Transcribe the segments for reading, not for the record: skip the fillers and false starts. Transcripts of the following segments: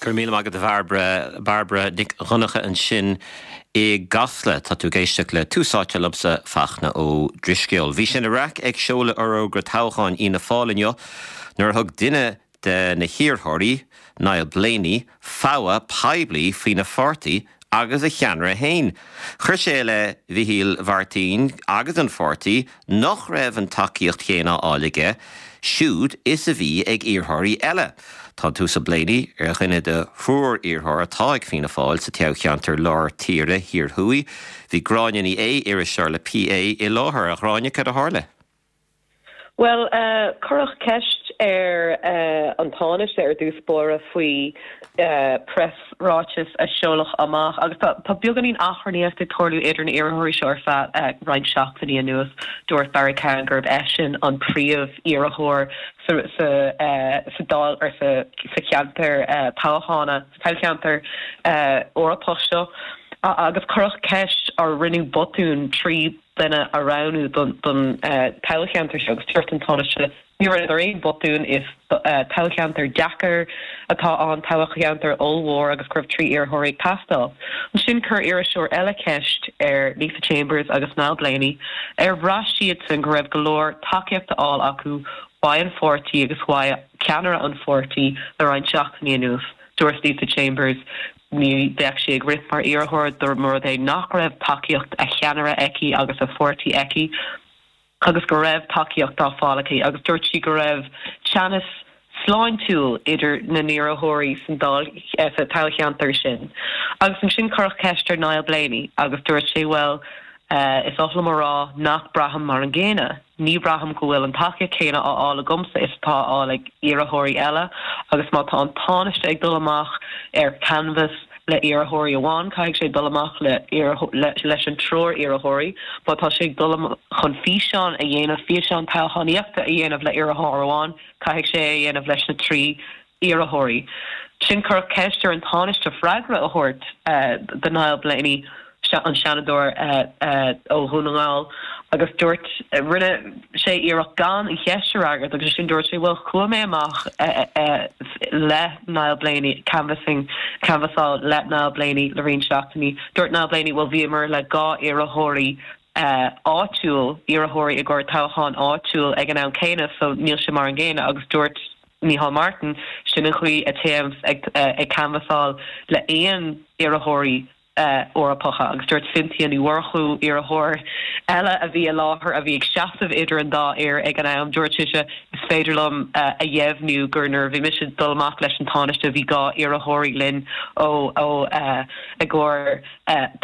Go raibh míle maith agat a Bhairbre. Bairbre Nic Dhonncha ansin i gCasla. Tá tú ag éisteacht le Tús Áite liomsa, Fachtna Ó Drisceoil. Bhí sé ina raic ag seoladh fhorógra toghcháin Fhianna Fáil inniu nuair a thug duine de na hiarrthóirí, Niall Blaney, fogha poiblí faoina pháirtí agus a cheannaire féin. Chuir sé i leith Mhichíl Mhartin agus an pháirtí nach raibh an tacaíocht chéanna á fháil aige siúd is a bhí ag iarrthóirí eile. Tá an tUasal Blaney ar dhuine de thriúr iarrthóir atá ag Fianna Fáil sa toghcheantar Lár Tíre Thiar Thuaidh. Bhí Gráinne Ní Aodha, iriseoir le PA, i láthair. A Ghráinne, cad a tharla? Bhuel, cuireadh ceist ar an Tánaiste ar dtús báire faoi preasráiteas a seoladh amach agus tá beagáinín achrannaíocht ag tarlú idir na iarrthóirí seo ar feadh roinnt seachtainí anuas. Dúirt Barry Cowen gurb eisean an príomh-iarrthóir sa Dáil or sa cheantar toghchána, sa toghcheantar Eorpach seo agus cuireadh ceist ar rinneadh botún 3 duine a roghnú don toghcheantar seo agus dúirt an Tánaiste ní rinneadar aon botún, is toghcheantar deacair atá ann, toghcheantar ollmhór agus go raibh 3 iarrthóirí ag teastáil. Ansin chuir iriseoir eile ceist ar Lisa Chambers agus Niall Blaney ar bhraith siadsan go raibh go leor tacaíochta á fháil acu uaidh an pháirtí agus uaidh ceannaire an pháirtí le roinnt seachtainí anuas. Dúirt Lisa Chambers Ní bheadh sí ag rith mar iarrthóir dá mba rud é nach raibh tacaíocht a cheannaire aici agus a pháirtí aici agus go raibh tacaíocht á fáil aici agus dúirt sí go raibh teannas sláintiúil idir na n-iarrthóirí san dáil sa toghcheantar sin. Agus ansin cuireadh ceist ar Niall Blaney agus dúirt sé bhuel is oth liom a rá nach braithim mar an gcéanna. Ní bhraithim go bhfuil an tacaíocht chéanna á fháil agamsa is atá á fháil ag iarrthóirí eile agus má tá an Tánaiste ag dul amach ar canbhas le iarrthóirí amháin, caithfidh sé dul amach le leis an triúr iarrthóirí. Má tá sé ag dul chun físeán a dhéanamh, físeán toghchánaíochta a dhéanamh le iarrthóir amháin, caithfidh sé é a dhéanamh leis na 3 iarrthóirí. Ansin cuireadh ceist ar an Tánaiste freagra a thabhairt do Niall Blaney, an Seanadóir ó Dhún na nGall, agus dúirt, rinne sé iarracht gan an cheist a fhreagairt agus ansin dúirt sé, bhuel chuaigh mé amach le Niall Blaney, canvassing, canbhasáil le Niall Blaney le roinnt seachtainí. Dúirt Niall Blaney, bhuel bhíomar le 2 iarrthóirí áitiúil, iarrthóirí i gcomhair toghchán áitiúil ag an am céanna so níl sé mar an gcéanna agus dúirt Micheál Martin, Sin an chaoi a téim ag canbhasáil le aon iarrthóirí Eorpacha. Agus dúirt Cynthia Ní Mhurchú, iarrthóir eile a bhí i láthair, a bhí ag seasamh idir an dá fhear ag an am, dúirt sise, Is féidir liom a dheimhniú gur nuair a bhí mise ag dul amach leis an Tánaiste bhí 2 iarrthóirí linn ó i gcomhair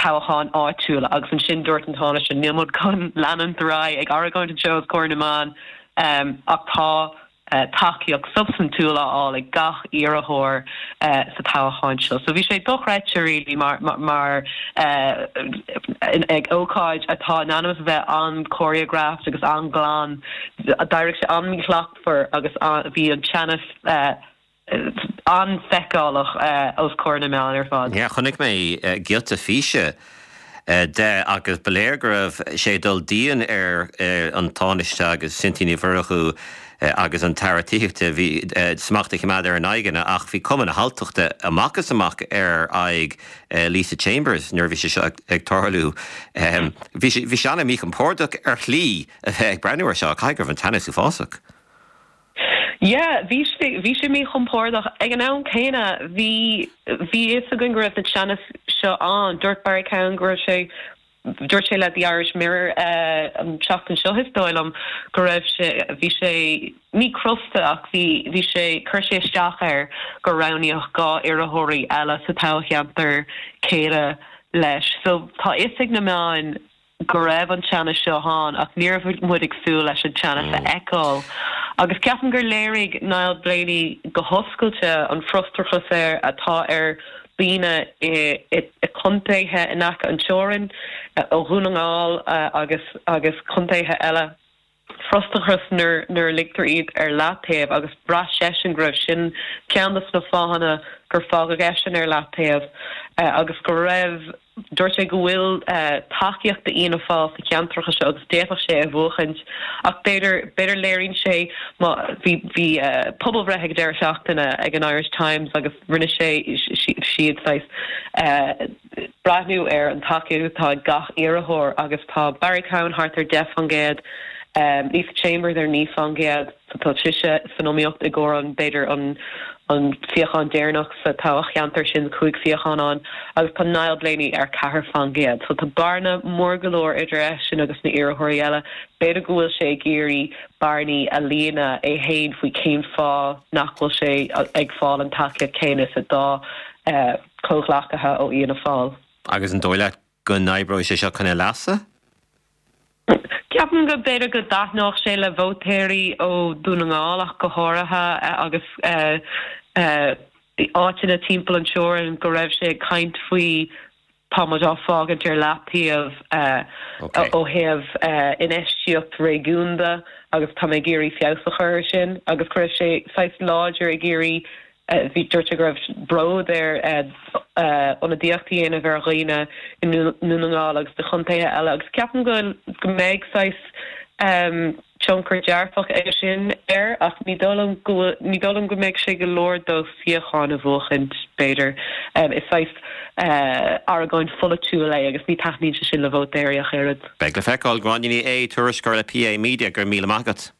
toghcháin áitiúla. Agus ansin dúirt an Tánaiste, Níl muid chun leanúint ar aghaidh ag argóint anseo os comhair na meán ach tá tacaíocht substaintiúil á fháil ag gach iarrthóir sa toghchán seo. So bhí sé dochreidte really mar mar ag ócáid atá in ainm is a bheith an-choreographed agus an-ghlan, d'éirigh sé an-mhíshlachtmhar agus bhí an teannas an-fheiceálach os comhair na meán ar fad. Yeah, chonaic mé giota físe de agus ba léir go raibh sé ag dul dian ar an Tánaiste agus Cynthia Ní Mhurchú agus an tAire Tithíochta. Bhí smacht a choimeád ar a n-aghaidheanna ach bhí cuma na halltachta amach is amach ar aghaidh Lisa Chambers nuair a bhí sé seo ag tarlú. Bhí sé an-mhíchompordach ar shlí a bheith ag breathnú air seo. Caithfidh go raibh an teannas uafásach. Yeah, bhí sé, bhí sé míchompordach. Ag an am céanna, bhí, bhí fhios againn go raibh na teannas seo ann. Dúirt Barry Cowen go raibh sé, dúirt sé le The Irish Mirror an tseachtain seo, is dóigh liom, go raibh sé, bhí sé, ní crosta ach bhí, bhí sé, chuir sé isteach air gur roghnaíodh 2 iarrthóirí eile sa toghcheantar céanna leis. So tá fhios ag na meáin go raibh an teannas seo ann ach ní raibh muid ag súil leis an teannas a fheiceáil. Agus ceapaim gur léirigh Niall Blaney go hoscailte an frustrachas air atá ar dhaoine i contaetha in aice an teorainn, ó Dhún na nGall agus agus contaetha eile. frustrachas nuair nuair a ligtear iad ar leataobh agus bhraith seisean go raibh sin ceann de na fáthanna gur fágadh eisean ar leataobh agus go raibh Dúirt sé go bhfuil tacaíocht d'Fhianna Fáil sna ceantracha seo agus d'fhéadfadh sé é a bhuachaint ach b'fhéidir, b'fhéidir léiríonn sé má, bhí, bhí pobalbhreith ag an deireadh seachtaine ag an Irish Times agus rinne sé, siad saghas breathnú ar an tacaíocht atá ag gach iarrthóir agus tá Barry Cowen thart ar 10%, Lisa Chambers ar 9%. Tá sise san iomaíocht i gcomhair an, b'fhéidir, an an suíochán deireanach sa toghcheantar sin, 5 suíochán ann, agus tá Niall Blaney ar 4%. So tá bearna mór go leor idir eisean agus na iarrthóirí eile. B'fhéidir go bhfuil sé ag iarraidh bearnaí a líonadh é féin faoi cén fáth nach bhfuil sé ag fáil an tacaíocht céanna is a dá chomhghleacaithe ó Fhianna Fáil. Agus an dóigh leat go n-oibreoidh sé seo chun a leasa? Ceapaim go b'fhéidir go dtaitneodh sé le vótóirí ó Dhún na nGall ach go háirithe agus áiteanna timpeall an teorainn go raibh sé ag caint faoi tá muid á fágaint ar leataobh ó thaobh infheistíocht réigiúnda agus tá mé ag iarraidh feabhas a chur ar sin agus go raibh sé saghas láidir ag iarraidh Bhí, dúirt sé go raibh bród air ionadaíocht a dhéanamh ar dhaoine i nDún na nGall agus i gcontaetha eile agus ceapaim go go mbeidh saghas tionchar dearfach aige sin air ach ní dóigh liom go bhfuil, ní dóigh liom go mbeidh sé go leor dó suíochán a bhuachaint, b'fhéidir. Is saghas argóint pholaitiúil é agus ní taitníonn sé sin le vótóirí ach oiread. Beidh le feiceáil. Gráinne Ní Aodha, tuairisceoir le PA Media, go raibh míle maith agat.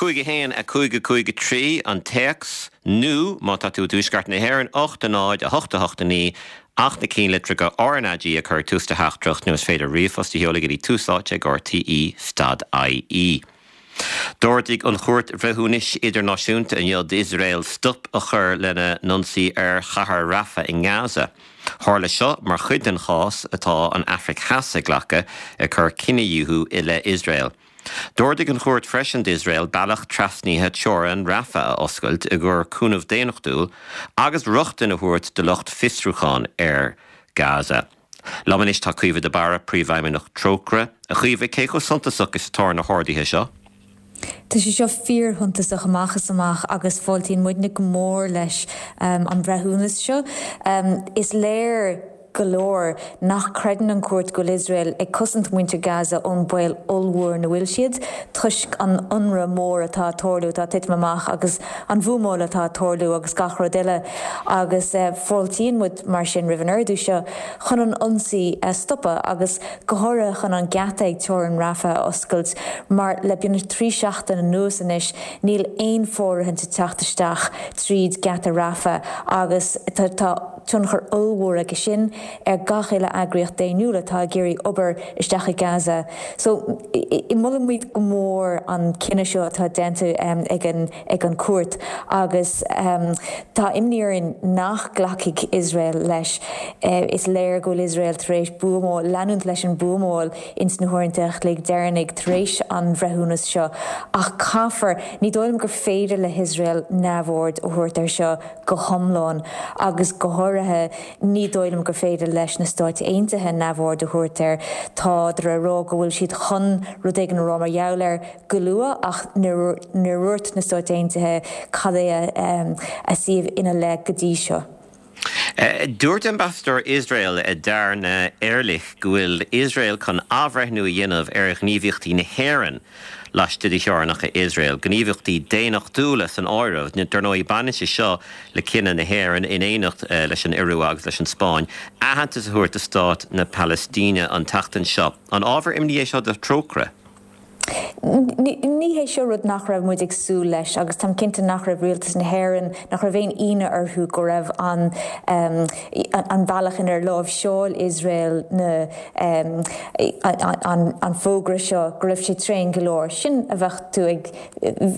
5 1 5 5 3 an téacs, nó má tá tú i dTuaisceart na hÉireann, 8 0 8 8 9 ach na cinnlitreacha RnaG a chur ag tús do theachtaireacht nó is féidir ríomhphost a sheoladh go dtí tús áite ag rte stad ie. D'ordaigh an Chúirt Bhreithiúnais Idirnáisiúnta inniu d'Iosrael stop a chur lena n-ionsaí ar chathair Rafah i nGaza. Tharla seo mar chuid den chás atá an Afraic Theas ag glacadh ag cur cinedhíothú i leith Iosrael. D'ordaigh an chúirt freisin d'Iosrael bealach trasnaithe teorann Rafah a oscailt i gcomhair cúnamh daonnachtúil agus rochtain a thabhairt do lucht fiosrúcháin ar Gaza. Liom anois tá Caoimhe de Barra, Príomhfheidhmeannach Trócaire. A Chaoimhe, cé chomh suntasach is atá na horduithe seo? Tá sé seo fíorshuntasach amach is amach agus fáiltíonn muidne go mór leis an bhreithiúnas seo. Is léir go leor nach gcreideann an chúirt go bhfuil Iosrael ag cosaint muintir Gaza ón baol ollmhór ina bhfuil siad toisc an ionradh mór atá ag tarlú, atá ag titim amach agus an bhuamáil atá ag tarlú agus gach rud eile agus fáiltíonn muid mar sin roimh an ordú seo chun an ionsaí a stopadh agus go háirithe chun an geata ag teorainn Rafah a oscailt mar le beagnach 3 seachtain anuas anois níl aon fóirithint ag teacht isteach tríd geata Rafah agus tá tionchar ollmhór aige sin ar gach uile eagraíocht daonnúil atá ag iarraidh obair isteach i Gaza. So molaimid go mór an cinneadh seo atá déanta ag an ag an chúirt agus tá imní orainn nach nglacfaidh Iosrael leis. Is léir go bhfuil Iosrael tar éis buamáil, leanúint leis an buamáil ins na huaireanta a chloig deireanaigh tar éis an bhreithiúnas seo ach caithfear, ní dóigh liom gur féidir le hIosrael neamhaird a thabhairt air seo go hiomlán agus go háirithe ní dóigh liom gur féidir leis na Stáit Aontaithe neamhaird a thabhairt air. Tádar ag rá go bhfuil siad chun rud éigin a rá mar gheall air. go luath ach níor dhúirt na Stáit Aontaithe cad é a suíomh ina leith go dtí seo. Dúirt Ambasadóir Iosrael, Dana Erlich, go bhfuil Iosrael chun athbhreithniú a dhéanamh ar ghníomhaíochtaí na hÉireann laistigh de theorainneacha Iosrael, gníomhaíochtaí daonnachtúla san áireamh. Dar ndóigh, baineann sé seo le cinneadh na hÉireann, in éineacht leis an Iorua agus leis an Spáinn, aitheantas a thabhairt do stát na Palaistíne an tseachtain seo. An ábhar imní é seo do Thrócaire? Ní hé seo rud nach raibh muid ag súil leis agus táim cinnte nach raibh Rialtas na hÉireann, nach raibh aon ionadh orthu go raibh an an bealach inar láimhseáil Iosrael na an fógra seo, go raibh sé tréan go leor. Sin a bheadh tú ag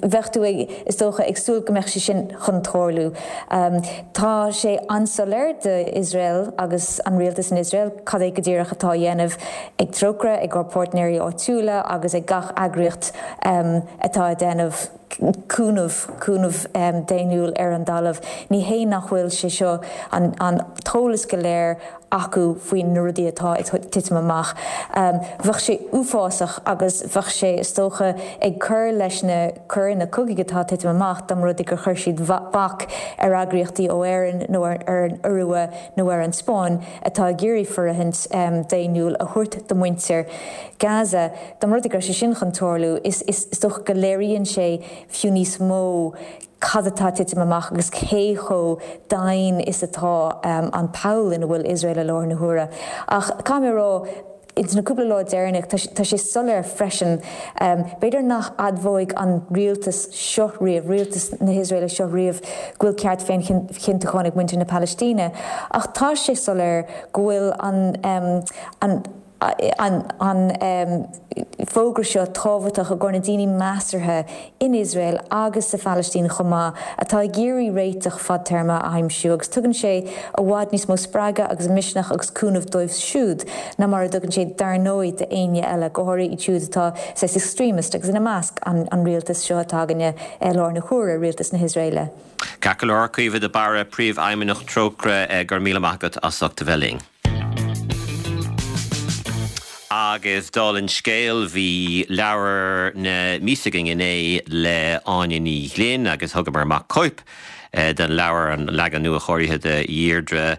bheadh tú ag, is dócha, ag súil go mbeadh sé sin chun tarlú. Tá sé an-soiléir d'Iosrael agus an rialtas in Iosrael cad é go díreach atá á dhéanamh. ag Trócaire, ag ár bpáirtnéirí áitiúla agus ag gach eagraíocht atá ag déanamh. Cúnamh, cúnamh daonnúil ar an dtalamh. Ní hé nach bhfuil sé seo, an t-eolas go léir acu faoi na rudaí atá ag titim amach. Bheadh sé uafásach agus bheadh sé, is dócha, ag cur leis na coireanna cogaidh atá ag titim amach dá mba rud é gur chuir siad bac ar eagraíochtaí ó Éirinn nó ar an Iorua nó ar an Spáinn atá ag iarraidh fóirithint daonnúil a thabhairt do mhuintir Gaza. Dá mba rud é go raibh sé sin chun tarlú, is dócha go léiríonn sé fiú níos mó cad atá ag titim amach agus cé chomh domhain is atá an poll ina bhfuil Iosrael i láthair na huaire. Ach caithfidh mé a rá, ins na cúpla lá deireanach, tá sé soiléir freisin, b'fhéidir nach admhóidh an rialtas seo riamh, rialtas na hIosraeile seo riamh, go bhfuil ceart féinchinntiúcháin ag muintir na Palaistíne, ach tá sé soiléir go bhfuil an, an, an fógra seo tábhachtach i gcomhair na daoine measartha in Iosrael agus sa Phalaistín chomh maith atá ag iarraidh réiteach fadtéarma a aimsiú agus tugann sé i bhfad níos mó spreagadh agus misneach agus cúnamh dóibh siúd ná mar a dtugann sé dar ndóigh d'éinne eile, go háirithe iad siúd atá saghas extremist agus ina measc an rialtas seo atá againne i láthair na huaire, rialtas na hIosraeile. Ceart go leor, Caoimhe de Barra, Príomhfheidhmeannach Trócaire, go raibh míle maith agat as ucht a bheith linn. Agus dála an scéil, bhí leabhar na míosa againn inné le Áine Ní Ghlinn agus thugamar amach cóip den leabhar, an leagan nua-chóirithe de Dheirdre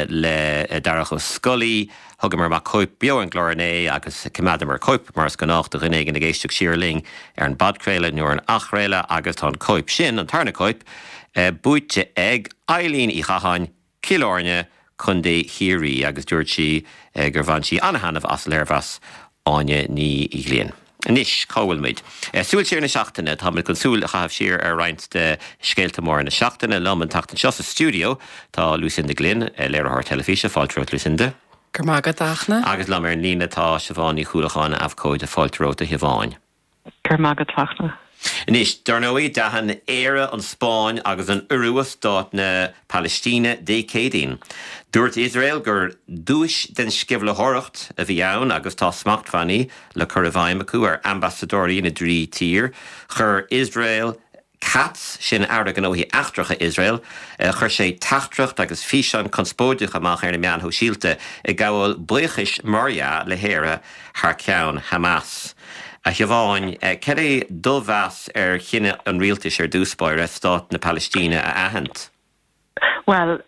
le Darach Ó Scolaí. Thugamar amach cóip beo ar an gclár inné agus choimeádamar cóip, mar is gnách, do dhuine éigin ag éisteacht siar linn ar an bpodchraoladh nó ar an athchraoladh agus tá an cóip sin, an tarna cóip, buaite ag Eileen Uí Chatháin, Cill Airne, Contae Chiarraí, agus dúirt sí gur bhain sí an-thaitneamh as léirmheas Áine Ní Ghlinn. Anois, cá bhfuil muid? Súil siar na seachtaine. Táimid chun súil a chaitheamh siar ar roinnt de scéalta móra na seachtaine. Liom an tseachtain seo sa stiúideo tá Lucinda Glynn, léiritheoir teilifíse. Fáilte romhat, Lucinda. Go raibh maith agat, a Fhachtna. Agus liom ar an líne tá Siobhán Ní Chuallacháin, abhcóide. Fáilte romhat, a Shiobháin. Go raibh maith agat, Fachtna. Anois, dar ndóigh, d'aithin Éire, an Spáinn agus an Iorua stát na Palaistíne Dé Céadaoin. Dúirt Iosrael gur duais den sceimhlitheoireacht a bhí ann agus tá smachtbhannaí le cur i bhfeidhm acu ar ambasadóirí na dtrí tír. Chuir Iosrael Katz, sin Aire Gnóthaí Eachtracha Iosrael, chuir sé teachtaireacht agus físeán conspóideach amach ar na meáin shóisialta ag gabháil buíochais, mar dhea, le hÉire thar ceann Hamas. A Shiobháin, cad é do mheas ar chinneadh an rialtais ar dtús báire stát na Palaistíne a aithint? Bhuel,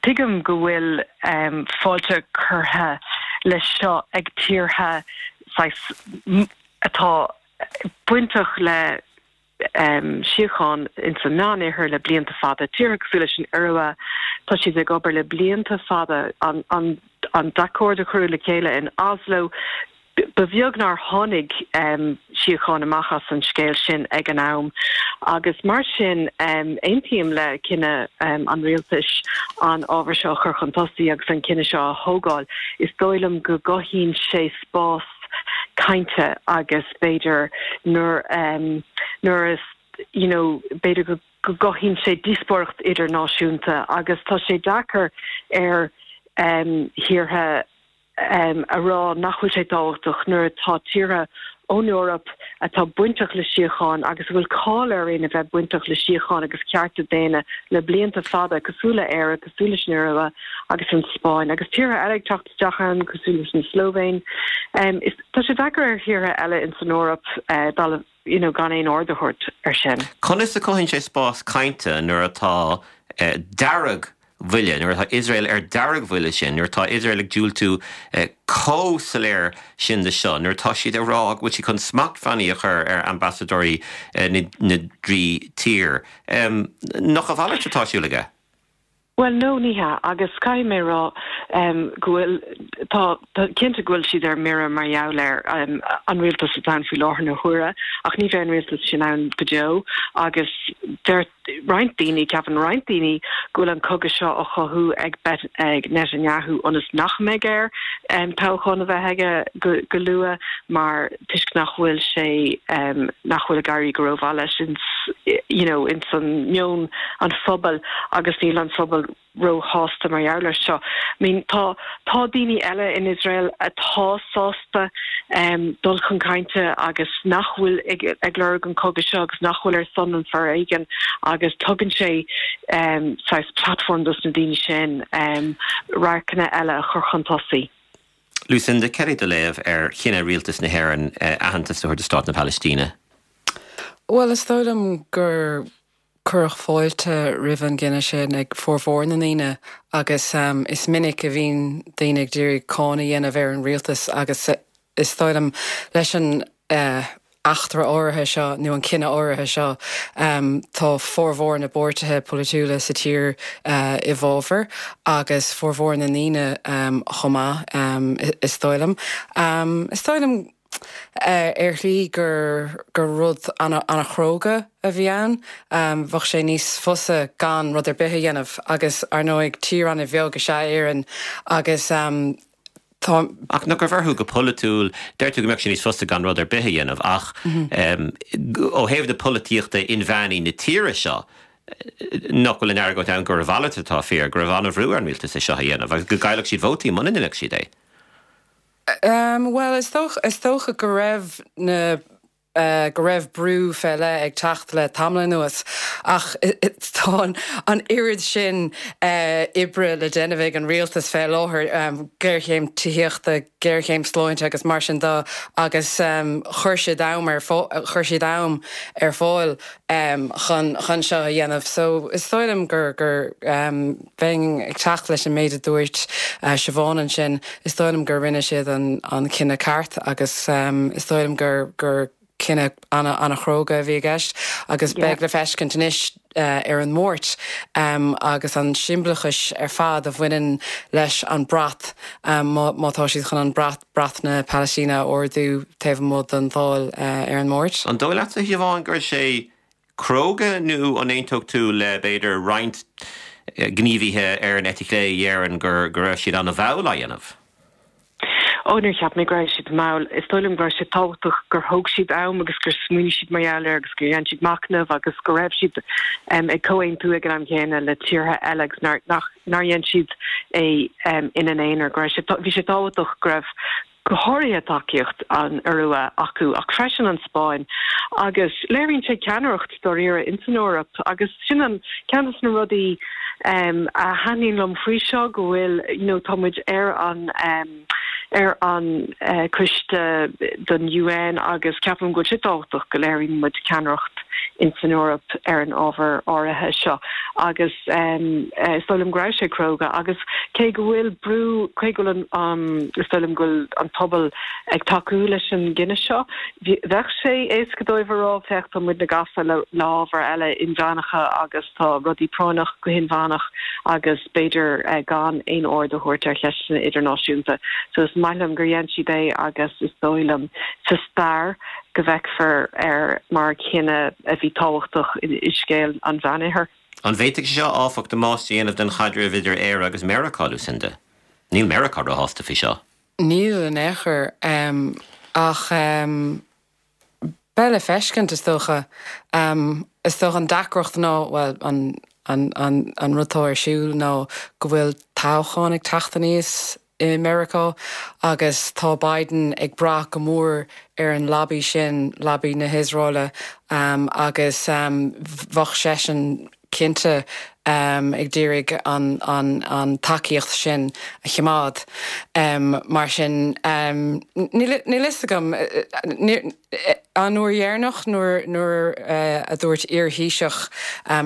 tuigim go bhfuil fáilte curtha leis seo ag tíortha saghas atá bainteach le síocháin ins an Meánoirthear le blianta fada. Tíortha cosúil leis an Iorua, tá siad ag obair le blianta fada. An an t-accord a cuireadh le chéile in Oslo, ba bheag nár tháinig síocháin amach as an scéal sin ag an am. Agus mar sin, aontaím le cinneadh an rialtais an ábhar seo a chur chun tosaigh agus an cinneadh seo a thógáil. Is dóigh liom go gcothaíonn sé spás cainte agus b'fhéidir nuair nuair is you know b'fhéidir go go gcothaíonn sé díospóireacht idirnáisiúnta agus tá sé deacair ar thíortha a rá nach bhfuil sé tábhachtach nuair atá tíortha ón Eoraip atá bainteach le síocháin agus a bhfuil cáil orainn a bheith bainteach le síocháin agus cearta daonna le blianta fada, cosúil le Éire, cosúil leis an Iorua agus an Spáinn agus tíortha eile ag teacht isteach ann, cosúil leis an Slóivéin. Is tá sé deacair ar thíortha eile ins an Eoraip dul you know gan aon aird a thabhairt ar sin. Conas a chothaíonn sé spás cainte nuair atá deargbhuille, nuair atá Iosrael ar deargbhuille sin, nuair atá Iosrael ag diúltú chomh soiléir sin de seo, nuair atá siad ag rá go bhfuil siad chun smachtbhannaí a chur ar ambasadóirí na dtrí tír? Nach a mhalairt atá ar siúl aige? Bhuel, no, ní hea, agus caithfidh mé a rá go bhfuil, tá, tá, cinnte go bhfuil siad ar mire mar gheall ar an rialtas atá ann faoi láthair na huaire, ach ní bheidh an rialtas sin ann go deo agus deir roinnt daoine, ceapann roinnt daoine go bhfuil an cogadh seo á chothú ag ag Netanyahu ionas nach mbeidh air toghchán a bheith aige go, go luath mar toisc nach bhfuil sé, nach bhfuil ag éirí go rómhaith leis ins, you know, ins an meon an phobail agus níl an phobal. róshásta mar gheall air seo. I mean tá tá daoine eile in Iosrael atá sásta dul chun cainte agus nach bhfuil ag ag lorg an cogadh seo agus nach bhfuil ar son an foréigin agus tugann sé saghas platform dos na daoine sin radharcanna eile a chur chun tosaigh. Lucinda, cad é do léamh ar chinneadh Rialtas na hÉireann aitheantas a thabhairt do Stát na Palaistíne? Bhuel, is dóigh liom gur cuireadh fáilte roimh an gcinneadh sin ag formhór na ndaoine agus is minic a bhíonn daoine ag d'iarraidh cáineadh a dhéanamh ar an rialtas agus is dóigh liom leis an eachtra áirithe seo nó an cinneadh áirithe seo tá formhór na bpáirtithe polaitiúla sa tír i bhfabhar agus formhór na ndaoine chomh maith is dóigh liom. Is dóigh liom ar shlí gur gur rud an-chróga a bhí ann. Bheadh sé níos fusa gan rud ar bith a dhéanamh agus, ar ndóigh, tír an-bheag is ea Éirinn agus tá. Ach nach raibh orthu go polaitiúil, deir tú go mbeadh sé níos fusa gan rud ar bith a dhéanamh ach ó thaobh na polaitíochta inmheánaí na tíre seo, nach bhfuil an argóint ann gur a mhalairt atá fíor, go raibh an-bhrú ar an rialtas é seo a dhéanamh agus go gcaillfeadh siad vótaí muna ndéanfadh siad é? Bhuel, is dócha, is dócha go raibh na, go raibh brú fé leith ag teacht le tamall anuas ach tá an oiread sin oibre le déanamh ag an rialtas fé láthair, géarchéim tithíochta, géarchéim sláinte agus mar sin de agus chuir siad am ar, chuir siad am ar fáil chun, chun seo a dhéanamh. So is dóigh liom gur, gur. Bheinn ag teacht leis an méid a dúirt Siobhán ansin. Is dóigh liom gur rinne siad an cinneadh ceart agus is dóigh liom gur gur cinneadh an-chróga a bhí i gceist agus beidh le feiscint anois ar an Máirt agus an siombalachas ar fad a bhaineann leis an brat má tá siad chun an brat, brat na Palaistíne a ardú taobh amuigh den Dáil ar an Máirt. An dóigh leatsa, a Shiobhán, go raibh sé cróga nó an aontódh tú le, b'fhéidir, roinnt gníomhaithe ar an eite chlé a dheireann go raibh siad an-mhall á dhéanamh? Ó, níor cheap mé go raibh siad mall. Is dóigh liom go raibh sé tábhachtach gur thóg siad am agus gur smaoinigh siad mar gheall air agus gur dhein siad machnamh agus go raibh siad ag comhaontú ag an am chéanna le tíortha eile agus nár, nach, nár dhein siad é ina n-aonar. Go raibh sé, bhí sé tábhachtach go raibh go háirithe tacaíocht an Iorua acu ach freisin an Spáinn agus léiríonn sé ceannaireacht dáiríre ins an Eoraip agus sin an ceann de na rudaí a thaitníonn liom faoi seo go bhfuil you know tá muid ar an ar an coiste don UN agus ceapaim go bhfuil sé tábhachtach go léiríonn muid ceannaireacht ins an Eoraip ar an ábhar áirithe seo agus is dóigh liom go raibh sé cróga agus cé go bhfuil brú, cé go bhfuil an, is dóigh liom go bhfuil an pobal ag tacú leis an gcinneadh seo, bheadh sé éasca dóibh a rá, féach tá muidne gafa le hábhair eile inmheánacha agus tá rudaí práinneach go hinmheánach agus b'fhéidir gan aon aird a thabhairt ar cheisteanna idirnáisiúnta. So is maith liom gur dhein siad é agus is dóigh liom sa stair go bhfeicfear air mar chinneadh a bhí tábhachtach i scéal an Mheánoirthir. An bhféadfadh sé seo, áfach, damáiste a dhéanamh don chaidreamh idir Éire agus Meiriceá, Lucinda? Níl Meiriceá róshásta faoi seo. Níl in aon chor. Ach beidh le feiscint, is dócha. Is dócha an deacracht ná, bhuel, an an rud atá ar siúl ná go bhfuil toghchán ag teacht aníos i Meiriceá agus tá Biden ag brath go mór ar an lobby sin, lobby na hIosraeile, agus bheadh seisean cinnte ag d'iarraidh an tacaíocht sin a choimeád. Mar sin, níl a fhios agam. An uair dheireanach nuair a dúirt iar-Thaoiseach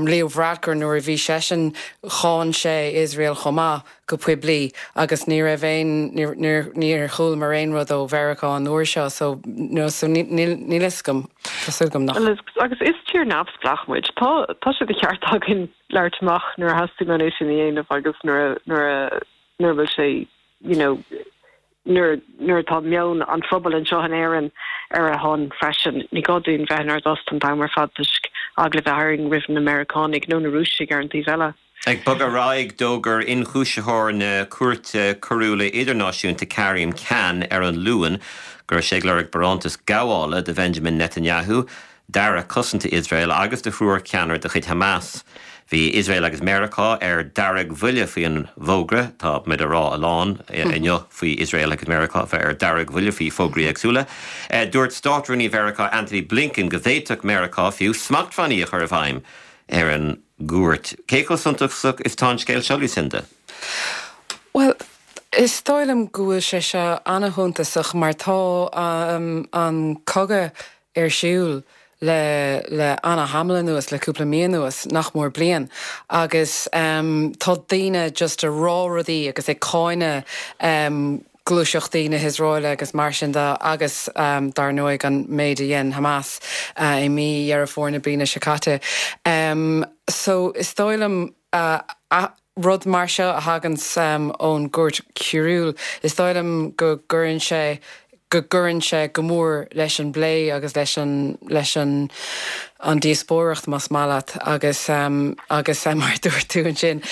Leo Varadkar nuair a bhí seisean, cháin sé Iosrael chomh maith go poiblí agus ní raibh aon, níor chualamar aon rud ó Mheiriceá an uair seo so so níl a fhios agam, tá súil agam nach. Agus is tír neamhspleách muid, tá tá sé de cheart againn labhairt amach nuair a theastaíonn uainn é sin a dhéanamh agus nuair a nuair a nuair a bhfuil sé you know nuair nuair atá meon an phobail anseo in Éirinn ar a shon freisin. Ní gá dúinn bheith inár dtost an t-am ar fad toisc eagla bheith orainn roimh na Meiriceánaigh nó na Rúisigh ar an taobh eile. Ag bogadh ar aghaidh, d'fhógair ionchúisitheoir na Cúirte Coiriúla Idirnáisiúnta Karim Khan ar an Luan go raibh sé ag lorg barántas gabhála do Bhenjamin Netanyahu, d'Aire Cosanta Iosrael agus do thriúr ceannaire de chuid Hamas. Bhí Iosrael agus Meiriceá ar deargbhuile faoi an bhfógra. Tá muid ag rá a lán inniu faoi Iosrael agus Meiriceá a bheith ar deargbhuile faoi fógraí éagsúla. Dúirt Státrúnaí Mheiriceá Antony Blinken go bhféadfadh Meiriceá fiú smachtbhannaí a chur i bhfeidhm ar an gcúirt. Cé chomh suntasach is atá an scéal seo, Lucinda? Bhuel, is dóigh liom go bhfuil sé seo ana-shuntasach mar tá an cogadh ar siúl le le ana-thamall anuas, le cúpla mí anuas, nach mór bliain, agus tá daoine just a rá rudaí agus ag cáineadh gluaiseachtaí na hIosraeile agus mar sin de agus dar ndóigh an méid a dhein Hamas i mí Dheireadh Fómhair na bliana seo caite. So is dóigh liom rud mar seo a thaganns ón gCúirt Choiriúil, is dóigh liom go gcuireann sé go gcuireann sé go mór leis an bplé agus leis an leis an an díospóireacht más maith leat agus agus mar a dúirt tú ansin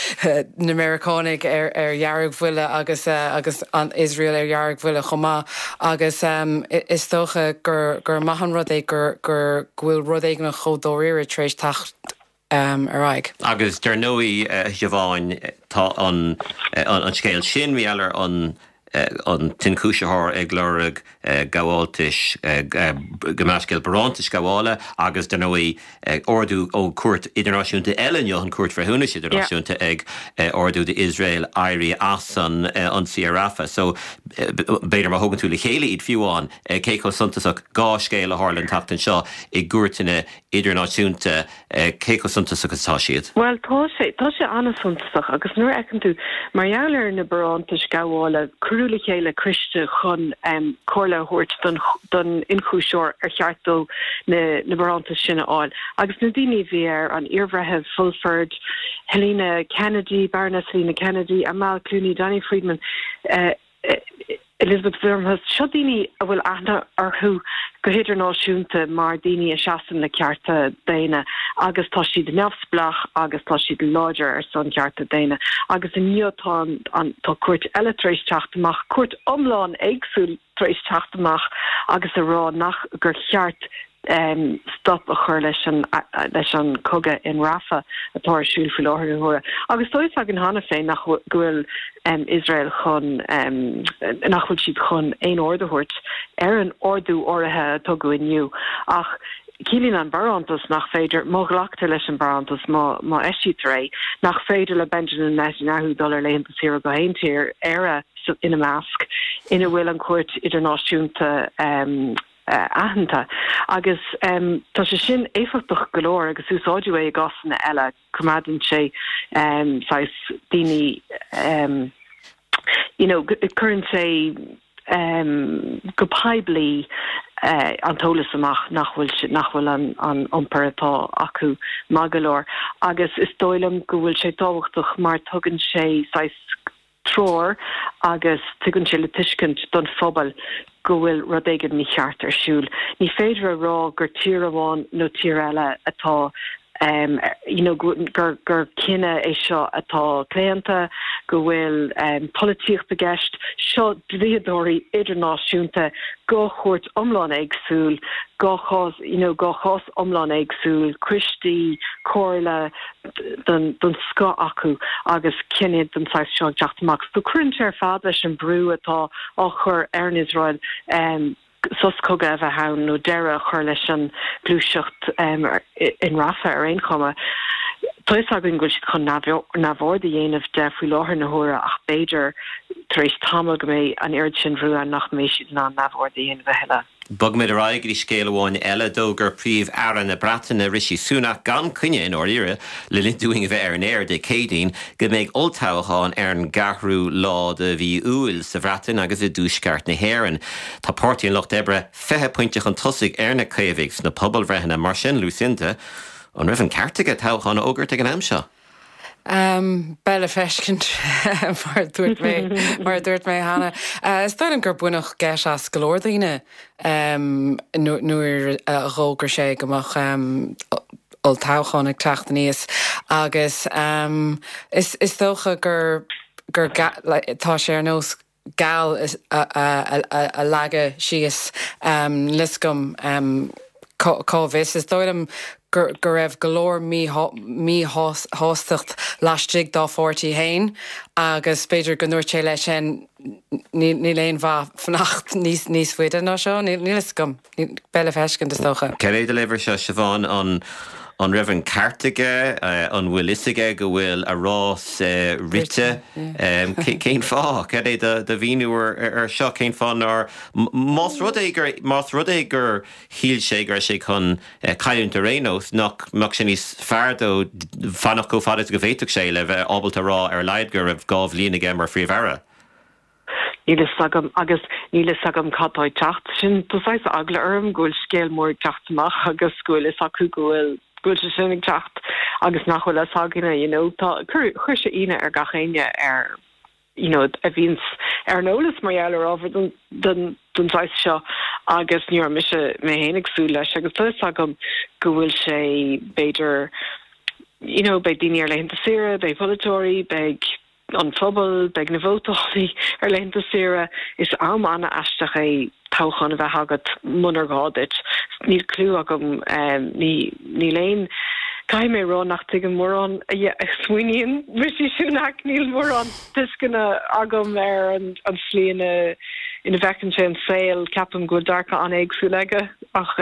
na Meiriceánaigh ar ar dheargbhuile agus agus an Iosrael ar dheargbhuile chomh maith agus is dócha gur gur maith an rud é gur gur go bhfuil rud éigin chomh dáiríre tar éis teacht ar aghaidh. Agus dar ndóigh, a Shiobháin, tá an scéal sin, mar gheall ar an t-ionchúisitheoir ag lorg gabháltais, gabh mo leithscéal, barántais gabhála agus dar ndóigh ordú ó chúirt idirnáisiúnta eile inniu, an Chúirt Bhreithiúnais Idirnáisiúnta ag ordú d'Iosrael éirí as an ionsaí ar Rafah. So, b'fhéidir má thógann tú le chéile iad fiú amháin, cé chomh suntasach dhá scéal a tharla an tseachtain seo i gcúirteanna idirnáisiúnta, cé chomh suntasach is atá siad? Bhuel, tá sé, tá sé an-suntasach agus nuair a fheiceann tú, mar gheall ar na barántais gabhála, cuireadh le chéile coiste chun comhairle a thabhairt don, don ionchúisitheoir ar cheart dó na, na barántais sin a fháil. Agus na daoine a bhí air, an iarbhreitheamh Fulford, Helena Kennedy, Baroness Helena Kennedy, Amal Clooney, Danny Friedman, Elizabeth Wurmhus, seo daoine a bhfuil aithne orthu go hidirnáisiúnta mar daoine a seasann le cearta daonna agus tá siad neamhspleách agus tá siad láidir ar son cearta daonna. Agus inniu tá an tá cúirt eile tar éis teacht amach, cúirt iomlán éagsúil tar éis teacht amach agus a rá nach gur cheart stop a chur leis an leis an cogadh in Rafah atá ar siúl faoi láthair na huaire. Agus tá fhios againn cheana féin nach go bhfuil Iosrael chun nach bhfuil siad chun aon aird a thabhairt ar an ordú áirithe a tugadh inniu. Ach ciallaíonn an barántas nach féidir, má ghlactar leis an barántas, má má eisítear é, nach féidir le Benjamin Netanyahu dul ar laethanta saoire go haon tír, Éire ina measc, ina bhfuil an Chúirt Idirnáisiúnta aitheanta agus tá sé sin éifeachtach go leor agus úsáideadh é i gcásanna eile. Coimeádann sé saghas daoine you know cuireann sé go poiblí an t-eolas amach nach bhfuil nach bhfuil an an iompar atá acu maith go leor agus is dóigh liom go bhfuil sé tábhachtach mar tugann sé saghas treoir agus tugann sé le tuiscint don phobal go bhfuil rud éigin mícheart ar siúl. Ní féidir a rá gur tír amháin nó tír eile atá you know gur gur cinneadh é seo atá claonta, go bhfuil polaitíocht i gceist. Seo dlíodóirí idirnáisiúnta, dhá chúirt iomlán éagsúil, dhá chás you know dhá chás iomlán éagsúil, coistí, comhairle, den scoth acu agus cinneadh den saghas seo ag teacht amach. So cuireann sé ar fad leis an brú atá á chur ar an Iosrael sos cogaidh a bheith ann nó deireadh a chur leis an gluaiseacht in Rafah ar aon chuma. Tá fhios againn go bhfuil siad chun neamhaird a dhéanamh de faoi láthair na huaire ach b'fhéidir tar éis tamaill go mbeidh an oiread sin brú ann nach mbeidh siad in ann neamhaird a dhéanamh a thuilleadh. Bogfaimid ar aghaidh go dtí scéal amháin eile. D'fhógair Príomh-Aire na Breataine, Rishi Sunak, gan coinne i ndáiríre, le linn dúinn a bheith ar an aer Dé Céadaoin, go mbeidh olltoghchán ar an gceathrú lá de mhí Iúil sa Bhreatain agus i dTuaisceart na hÉireann. Tá Páirtí an Lucht Oibre 20 pointe chun tosaigh ar na Caomhaigh sna pobalbhreitheanna. Mar sin, Lucinda, an raibh an ceart aige toghchán a fhógairt ag an am seo? Beidh le feiscint, mar a dúirt mé, mar a dúirt mé cheana. Is dóigh liom gur baineadh geit as go leor daoine nuair a dh'fhógair sé go mbeadh olltoghchán ag teacht aníos agus is dócha gur, gur, tá sé ar nós gal a leagadh síos, níl fhios agam. Cá bhfios? Is dóigh liom go raibh go leor míshástacht laistigh dá pháirtí féin agus b'fhéidir go ndúirt sé leis féin níl aon mhaith fanacht níos faide ná seo. Níl fhios agam. Beidh le feiscint, is dócha. Cad é do léamh ar seo, Siobhán? An raibh an ceart aige? An bhfuil fhios aige go bhfuil a rás rite? Cén fáth? Cad é do mhíniú ar seo? Cén fáth nár, más rud é gur, más rud é gur shíl sé go raibh sé chun cailliúint ar aon nós, nach mbeadh sé níos fearr dó fanacht chomh fada is go bhféadfadh sé le bheith ábalta a rá ar a laghad go raibh 2 bhliain aige mar Phríomh-Aire? Níl fhios agam agus níl fhios agam cad tá ag teacht. Sin, tá saghas eagla orm go bhfuil scéal mór ag teacht amach agus go bhfuil fhios acu go bhfuil, go bhfuil sé sin ag teacht agus nach bhfuil fhios againne, you know. Tá, chuir, chuir sé ionadh ar gach éinne ar, you know, a bhíonns ar an eolas mar gheall ar ábhar den, den, den saghas seo agus ní raibh mise mé féin ag súil leis agus tá fhios agam go bhfuil sé, b'fhéidir, you know, beidh daoine ar laethanta saoire, beidh polaiteoirí, beidh an phobal, beidh na vótálaí ar laethanta saoire. Is am an-aisteach é toghchán a bheith agat munar ghá duit. Níl cliú agam, níl aon, caithfidh mé a rá nach dtuigim mórán a smaoiníonn Rishi Sunak, níl mórán tuisceana agam ar an slí ina ina bhfeiceann sé an saol. Ceapaim go bhfuil dearcadh an-éagsúil aige ach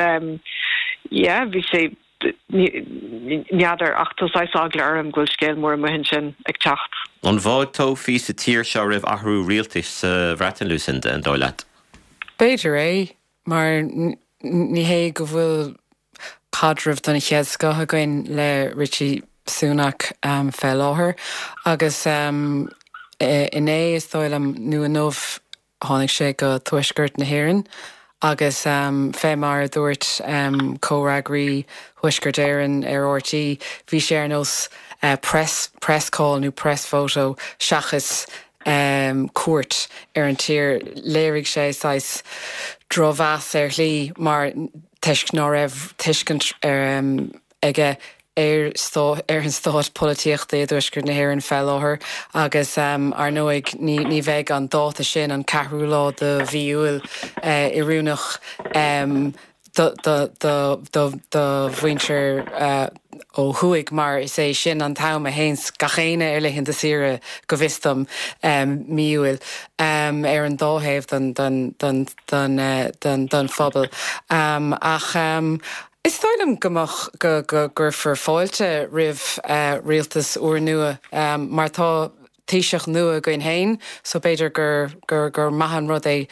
yeah, bhí sé. N'fheadar, ach tá saghas eagla orm go bhfuil scéal mór amuigh ansin ag teacht. An bhfáilteofaí sa tír seo roimh athrú rialtais sa Bhreatain, Lucinda, an dóigh leat? B'fhéidir é, mar ní hé go bhfuil caidreamh den chéad scoth againn le Rishi Sunak fé láthair agus inné, is dóigh liom, nó inniu, Tháinig sé go Tuaisceart na hÉireann agus fé mar a dúirt comhfhreagraí Thuaisceart Éireann ar RTÉ, bhí sé ar nós press press call nó press photo seachas cuairt ar an tír. Léirigh sé saghas drochmheas ar shlí mar toisc ná raibh tuiscint aige ar ar an stát polaitíochta i dTuaisceart na hÉireann fé láthair agus ar ndóigh ní bheidh an dáta sin, an ceathrú lá de mhí Iúil, oiriúnach do do mhuintir ó thuaidh mar is é sin an t-am a théanns gach éinne ar laethanta saoire go bhfios dom, mí Iúil, ar an dá thaobh den den phobal. Ach Is dóigh liom go mbeadh, go gcuirfear fáilte roimh rialtas úrnua mar tá Taoiseach nua againn féin so b'fhéidir gur, gur, gur maith an rud é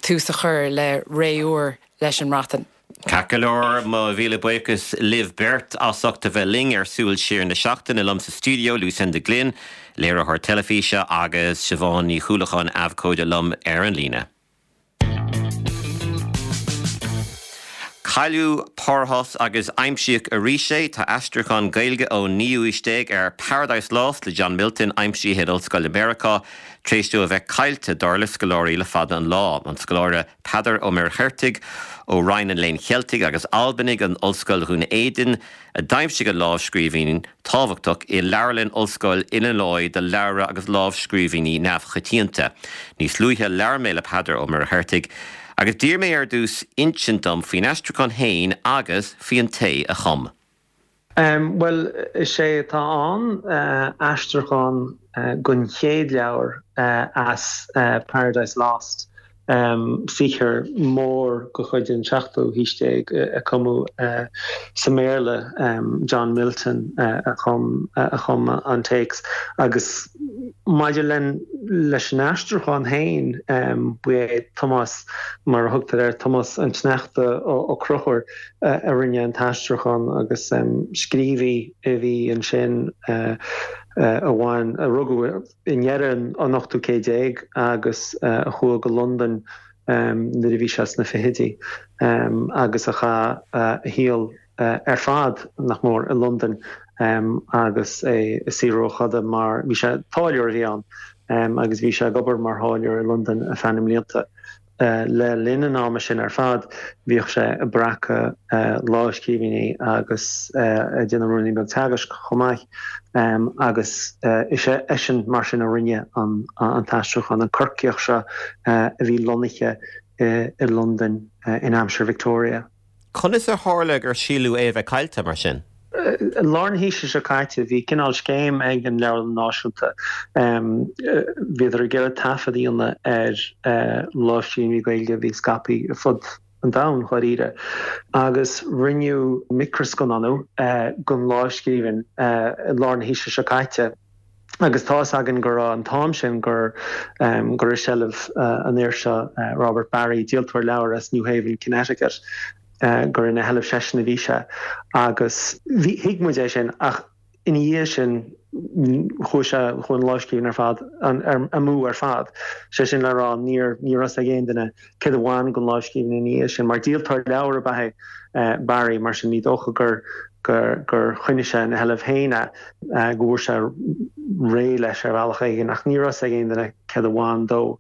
tús a chur le ré úr leis an mBreatain. Ceart go leor, mo mhíle buíochas libh beirt as ucht a bheith linn ar Súil Siar na Seachtaine. Liom sa stiúideo, Lucinda Glynn, léiritheoir teilifíse agus Siobhán Ní Chuallacháin, abhcóide liom ar an líne. Cailleadh Párthas agus aimsíodh arís é. Tá aistriúchán Gaeilge ón naoú haois déag ar Paradise Lost le John Milton aimsithe in ollscoil i Meiriceá tar éis dó a bheith caillte, dar le scoláirí, le fada an lá. An scoláire Peadar Ó Muircheartaigh ó Roinn an Léinn Cheiltigh agus Albanaigh in Ollscoil Dhún Éideann a d'aimsigh an lámhscríbhinn tábhachtach i leabharlann Ollscoil Illinois do leabhra agus lámhscríbhinní neamhchoitianta. Níos luaithe labhair mé le Peadar Ó Muircheartaigh agus d'iarr mé ar dtús insint dom faoin aistriúchán féin agus faoi an té a chum. Bhuel, is é atá ann aistriúchán den chéad leabhar as Paradise Lost. saothar mór de chuid an tseachtú haois déag a cumadh sa mBéarla, John Milton a chum a chum an téacs agus maidir leis an aistriúchán féin ba é Tomás, mar a thugtar air, Tomás an tSneachta Ó Conchúir a rinne an t-aistriúchán agus scríobhaí a bhí ansin a bhain, a rugadh i ndeireadh an ochtú céad déag agus a chuaigh go Londain nuair a bhí sé sna fichidí agus a chaith a shaol ar fad, nach mór, i Londain agus é ag saothrú a choda mar, bhí sé, táilliúir a bhí ann agus bhí sé ag obair mar tháilliúir i Londain ar feadh na mblianta. Le linn an ama sin ar fad, bhíodh sé ag breacadh lámhscríbhinní agus ag déanamh ruainnín beag teagaisc chomh maith agus is eisean mar sin a rinne an t-aistriúchán, an Corcaíoch seo a bhí lonnaithe i Londain in aimsir Victoria. Conas ar tharla gur síleadh é a bheith caillte, mar sin? I lár na haoise seo caite, bhí cineál scéim ag an Leabharlann Náisiúnta. Bhíodar ag iarraidh taifead a dhéanamh ar lámhscríbhinní Gaeilge a bhí scaipthe ar fud an domhain, dháiríre, agus rinneadh micreascannánú den lámhscríbhinn i lár na haoise seo caite. Agus tá fhios againn go raibh an t-am sin gur gur i seilbh an fhir seo, Robert Barry, díoltóir leabhar as New Haven, Connecticut, gur ina sheilbh seisean a bhí sé. Agus bhí, thuig muid é sin ach ina dhiaidh sin chuaigh sé, chuaigh an lámhscríbhinn ar fad amú ar fad. Sé sin le rá níor, ní raibh fhios ag aon duine céard a bhain den lámhscríbhinn ina dhiaidh sin. Mar díoltóir leabhar ab ea é Barry, mar sin ní dócha gur gur choinnigh sé ina sheilbh féin é, go bhfuair sé réidh leis ar bhealach éigin, ach ní raibh fhios ag aon duine céard a bhain dó.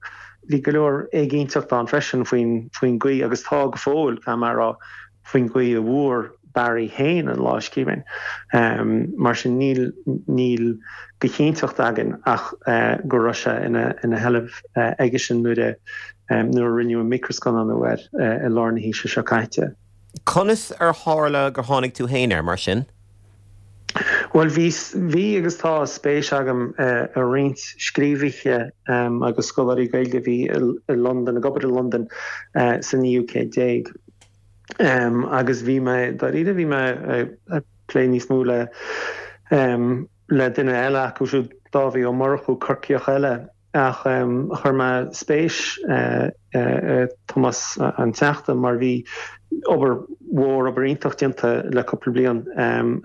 Bhí go leor éiginnteacht ann freisin faoin faoin gcaoi, agus tá go fóill, caithfidh mé a rá, faoin gcaoi a bhfuair Barry féin an lámhscríbhinn. Mar sin níl níl de chinnteacht againn ach go raibh sé ina ina sheilbh aigesean nuair a nuair a rinneadh an micreascannánú air i lár na haoise seo caite. Conas ar tharla gur tháinig tú féin air, mar sin? Bhuel, bhí, bhí agus tá spéis agam i roinnt scríobhaithe agus scoláirí Gaeilge a bhí i Londain, ag obair i Londain sa naoú céad déag. Agus bhí mé, dáiríre, bhí mé ag plé níos mó le, le duine eile acu siúd, Dáibhí Ó Murchú, Corcaíoch eile, Ach chuir mé spéis i Tomás an Teachta mar bhí obair mhór, obair iontach déanta le cúpla bliain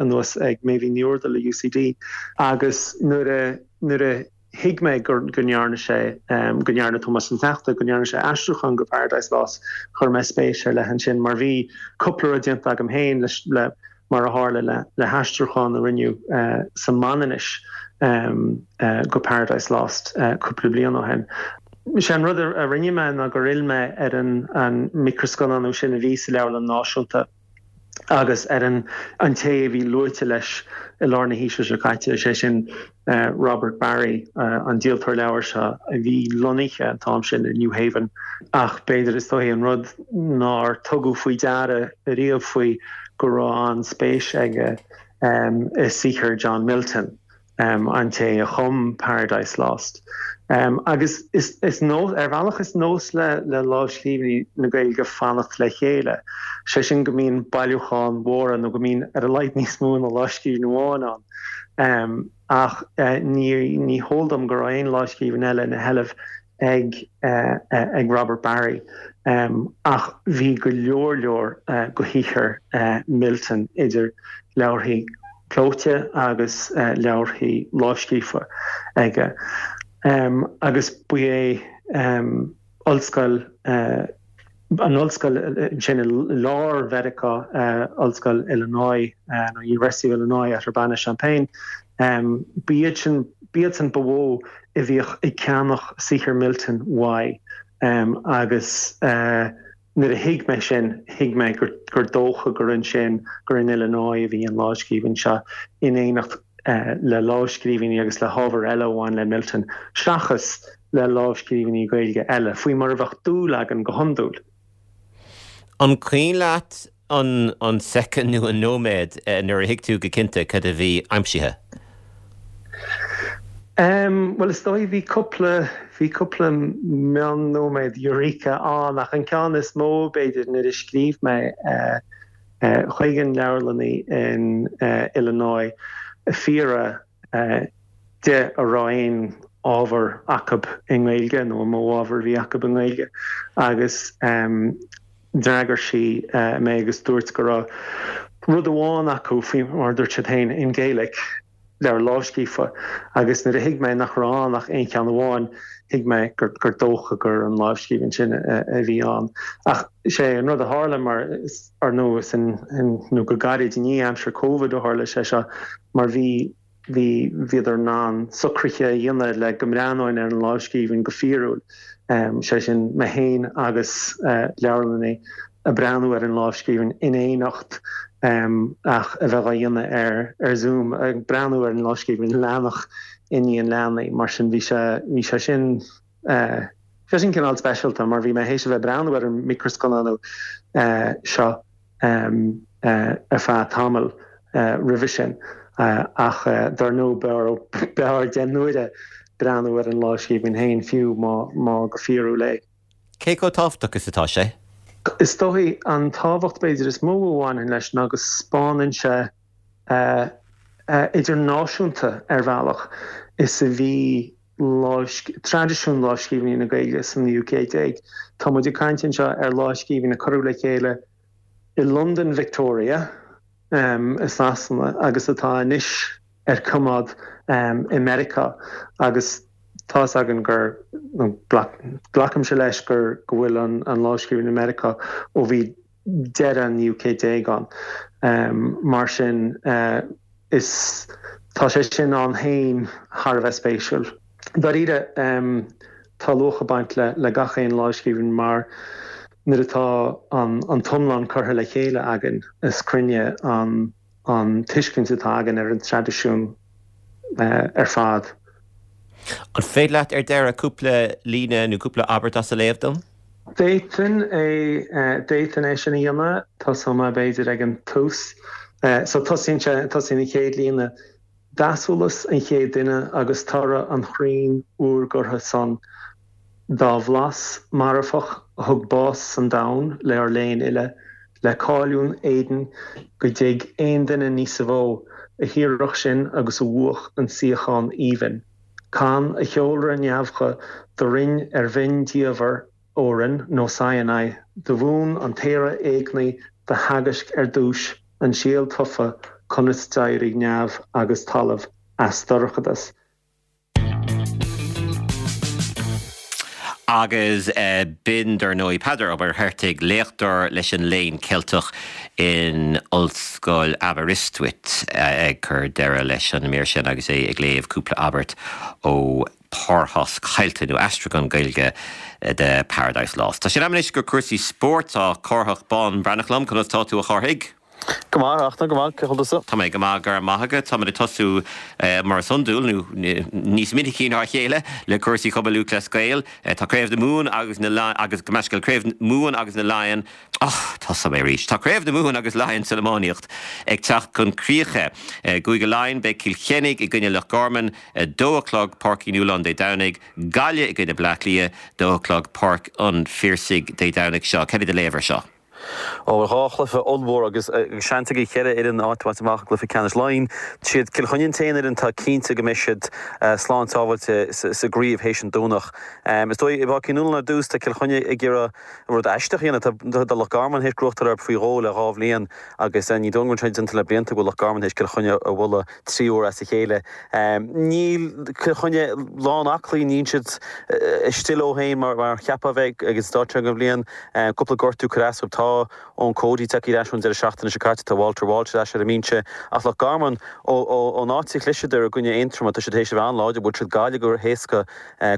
anuas ag Méibhín Ní Úrdail i UCD agus nuair a nuair a thuig mé go ndearna sé, go ndearna Tomás an Teachta, go ndearna sé aistriúchán go Paradise Lost, chuir mé spéis ar leith ansin mar bhí cúpla rud déanta agam féin leis le mar a tharla le haistriúchán a rinneadh sa Mhanainnis go Paradise Lost cúpla bliain ó shin. Sé an rud a rinne mé ná gur fhill mé ar an micreascannánú sin a bhí sa Leabharlann Náisiúnta agus ar an té a bhí luaite leis i lár na haoise seo caite, is é sin Robert Barry, an díoltóir leabhar seo a bhí lonnaithe an t-am sin i New Haven. Ach b'fhéidir, is dóichí, an rud nár tugadh faoi deara ariamh faoi go raibh an-spéis aige i saothar John Milton, an té a chum Paradise Lost. Agus is nós, ar bhealach is nós le lámhscríbhinní na Gaeilge fanacht le chéile, sé sin go mbíonn bailiúcháin mhóra nó go mbíonn ar a laghad níos mó ná lámhscríbhinn amháin ann. Ach ní heol dom go raibh aon lámhscríbhinn eile ina sheilbh ag ag Robert Barry. Ach bhí go leor leor de shaothar Milton, idir leabharthaí clóite agus leabharthaí lámhscríofa aige. Agus ba é ollscoil, an ollscoil ansin i lár Mheiriceá, Ollscoil Illinois, nó University of Illinois at Urbana-Champaign, ba iad sin, ba iadsan ba mhó a bhíodh ag ceannach saothar Milton uaidh agus nuair a thuig mé sin, thuig mé gur dócha gur ansin, gur in Illinois a bhí an lámhscríbhinn seo in éineacht le lámhscríbhinní agus le hábhar eile a bhain le Milton, seachas le lámhscríbhinní Gaeilge eile, faoi mar a bheadh dúil againn go hiondúil. An cuimhin leat an an soicind nó an nóiméad nuair a thuig tú go cinnte cad a bhí aimsithe? Bhuel, is dóigh, bhí cúpla, bhí cúpla mion-nóiméad eureka ann, ach an ceann is mó, b'fhéidir, nuair a scríobh mé chuig an leabharlannaí in Illinois ag fiafraí de an raibh aon ábhar acu i nGaeilge nó an mó ábhar a bhí acu i nGaeilge agus d'fhreagair sí mé agus dúirt go raibh rud amháin acu, faoi mar a dúirt siad féin, in Gaelic. leabhar lámhscríofa, agus nuair a thuig mé nach raibh ann ach aon cheann amháin, thuig mé gur dócha gur an lámhscríbhinn sin a bhí ann. Ach is é an rud a tharla, mar ar ndóigh is in, nó go gairid i ndiaidh aimsir Covid a tharla sé seo, mar bhí, bhí, bhíodar in ann socruithe a dhéanamh le go mbreathnóinn ar an lámhscríbhinn go fíorúil, sé sin mé féin agus leabharlannaí. ag breathnú ar an lámhscríbhinn in éineacht ach a bheith á dhéanamh ar ar Zoom, ag breathnú ar an lámhscríbhinn leathanach i ndiaidh an leathanaigh. Mar sin bhí sé bhí sé sin bhí sé sin cineál speisialta mar bhí mé théis a bheith ag breathnú ar an micreascannánú seo. Ar feadh tamaill roimhe sin, ach dar ndóigh b'fhearr 10 n-uaire breathnú ar an lámhscríbhinn féin, fiú má go fíorúil é. Cé chomh tábhachtach is atá sé? Is dóigh, an tábhacht b'fhéidir is mó a bhaineann leis ná go 'spáineann sé a idirnáisiúnta ar bhealach is a bhí traidisiún lámhscríbhinní na Gaeilge sa naoú céad déag. Tá muid ag caint anseo ar lámhscríbhinn a cuireadh le chéile i Londain Victoria i Sasana agus atá anois ar coimeád i Meiriceá agus tá's againn gur, nó glacaimse leis gur, go bhfuil an lámhscríbhinn i Meiriceá ó bhí deireadh an naoú céad déag ann. Mar sin is, tá sé sin ann féin thar a bheith spéisiúil. Dáiríre, tá luach ag baint le gach aon lámhscríbhinn mar nuair atá an t-iomlán curtha le chéile againn is cruinne an tuiscint atá againn ar an traidisiún ar fad. An féidir leat ar deireadh cúpla líne nó cúpla abairt as a léamh dom? D'fhéadfainn é, d'fhéadfainn é sin a dhéanamh. Tosóidh mé b'fhéidir ag an tús. So tosaíonn sé, tosaíonn an chéad líne. D'easolas an chéad duine agus toradh an chrainn úrghortha san, dá bhlas marfach a thug bás san domhan le ár léinn uile, le cáiliún Éidin go dtig aon duine níosa mhó a hiarrfadh sin agus a bhuafadh an suíochán aoibhinn. Can a cheolra neamhcha do rinn ar bhinn diamhair Órain nó Sinai, do mhúin an t-aoire éagnaí do theagaisc ar dtúis an síol tofa conas d'éirigh neamh agus talamh as dorchadas. Agus b'in, dar ndóigh, Peadar Ó Muircheartaigh, léachtóir leis an Léann Ceilteach in Ollscoil Aberystwyth, ag cur deireadh leis an mír sin agus é ag léamh cúpla abairt ó Párthas Caillte, nó aistriúchán Gaeilge de Paradise Lost. Tá sé in am anois do chúrsaí spóirt. Tá Cárthach Bán Breathnach liom. Conas tá tú, a Chárthaigh? Go maith, a Fhachtna, go maith. Cén chaoi a bhfuil tusa? Tá mé go maith, go raibh maith agat. Táimid ag tosú, mar is iondúil, nó níos minicí ná a chéile, le cúrsaí Chumann Lúthchleas Gael. Tá Craobh na Mumhan agus na, agus gabh mo leithscéal, Craobh Mumhan agus na Laighean, Och, tosóidh mé arís. Tá Craobh na Mumhan agus Laighean san iománaíocht ag teacht chun críche. I gCúige Laighean, beidh Cill Chainnigh i gcoinne Loch Garman, 2 a chlog, Páirc Uí Nualláin Dé Domhnaigh, Gaillimh i gcoinne Bleá Cliath, 2 a chlog, Páirc an Phiarsaigh Dé Domhnaigh seo. Cad é do léamh ar seo? Ó, bhuel, dhá chluiche ollmhór agus seans ag an cheithre fhoireann áit a bhaint amach i gcluiche ceannais Laighean. Siad Cill Chainnigh an t-aon fhoireann atá cinnte go mbeidh siad slán sábháilte sa gcraobh théis an Domhnach. Is dóigh, i bPáirc Uí Nualláin ar dtús, tá Cill Chainnigh ag iarraidh Rud aisteach a dhéanamh, tá Loch Garman théis gnóthachtáil orthu faoi dhó le dhá bhliain agus ní dóigh go bhfuil sé déanta le blianta go bhfuil Loch Garman théis Cill Chainnigh a bhualadh trí huaire as a chéile. Níl Cill Chainnigh lán aclaí, níl siad istigh leo féin mar a cheapfá a bheith ag an stáid seo den bhliain. Cúpla gortú curtha as dóibh. Tá Eoin Cody tagtha ar ais ón deireadh seachtaine seo caite, tá Walter Walsh ar ais ar an mbinse ach Loch Garman ón áit a chliseadar i gcoinne Aontroma tá siad théis a bheith an-láidir, bhuail siad Gaillimh go héasca.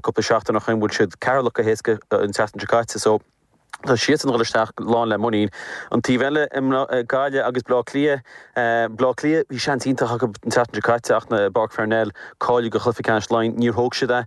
Cúpla seachtain ó shoin bhuail siad Ceatharlach go héasca an tseachtain seo caite so tá siadsan ag dul isteach lán le muinín. An taobh eile i Gaillimh agus Bleá Cliath, Bleá Cliath bhí seans iontach acu an tseachtain seo caite ach i bPáirc Pharnell cáiliú go chluiche ceannais Laighean níor thóg siad é.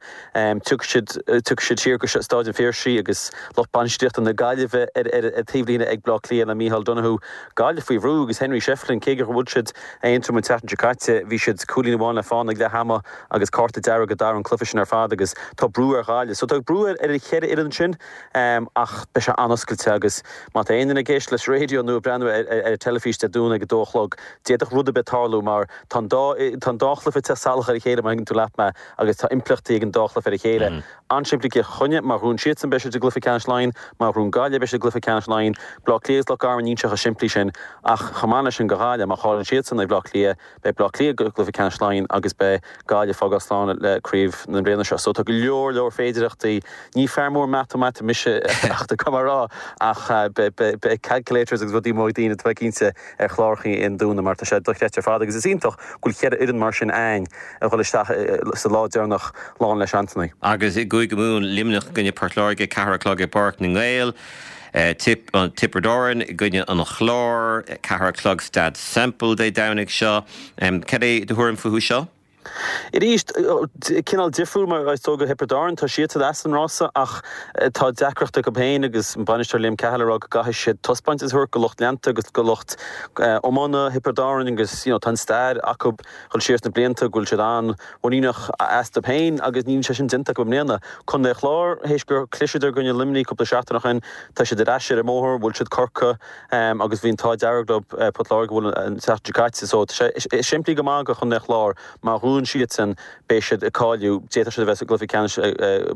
Tiocfaidh siad tiocfaidh siad siar go Stáid an Phiarsaigh agus lucht bainistíochta na Gaillimhe ar ar an taobhlíne ag Bleá Cliath le Micheál Donoghue. Gaillimh faoi bhrú agus Henry Shefflin cé gur bhuail siad Aontroim an tseachtain seo caite bhí siad cúilín amháin le fána ag leath ama agus cárta dearg a d'athraigh an cluiche sin ar fad agus tá brú ar Ghaillimh. So tá brú ar an cheithre fhoireann sin ach beidh sé an-oscailte agus má tá aon duine ag éisteacht leis an raidió nó ag breathnú ar an teilifís Dé Domhnaigh ag a dó a chlog, d'fhéadfadh rud ar bith tarlú mar tá an dá tá an dá chluiche ag teacht salach ar a chéile má thuigeann tú leat mé agus tá impleachtaí ag an dá chluiche ar a chéile. An-simplí Cill Chainnigh, má ghnóthaíonn siadsan beidh siad i gcluiche ceannais Laighean, má ghnóthaíonn Gaillimh beidh siad i gcluiche ceannais Laighean. Bleá Cliath agus Loch Garman níl sé chomh simplí sin ach chomh maith leis sin do Ghaillimh, má chailleann siadsan ag Bleá Cliath, Beidh Bleá Cliath i gcluiche ceannais Laighean agus beidh Gaillimh ag fágáil slán le craobh na bliana seo. So tá go leor leor féidireachtaí. Ní fear mór matamaitice mise ach tá cuma rá ach beidh calculators agus rudaí mór ag daoine tá mé cinnte ar chlárachaí an Domhnaigh mar tá sé dochreidte ar fad agus is iontach go bhfuil cheithre fhoireann mar sin a'ainn a dhul isteach sa lá deireanach lán le seansannaí. Agus i gCúige Mumhan, Luimneach i gcoinne Port Láirge, ceathair a chlog i bPáirc na nGael. Tiobraid Árann i gcoinne an Chláir, 4 a chlog Staid Semple Dé Domhnaigh seo. Cad é do thuairim fúthu seo? Arís, cineál difriúil mar is dóigh do Thiobraid Árann, tá siadsan as an rása ach tá deacracht acu féin agus an bainisteoir Liam Cahill ag rá go gcaithfidh siad taispeántas a thabhairt do lucht leanta agus do lucht iomána Thiobraid Árann agus you know tá an stair acu dhul siar sna blianta go bhfuil siad an-mhuiníneach astu féin agus níl sé sin déanta acu i mbliana. Contae an Chláir, théis gur chliseadar i gcoinne Luimnigh cúpla seachtain ó shin, tá siad ar ais ar an mbóthar, bhuail siad Corcaigh agus bhí an t-ádh dearg leo Port Láirge a bhualadh an tseachtain seo caite. So tá sé simplí go maith do Chontae an Chláir, má bhuann siadsan beidh siad ag cáiliú, d'fhéadfadh siad a bheith i gcluiche ceannais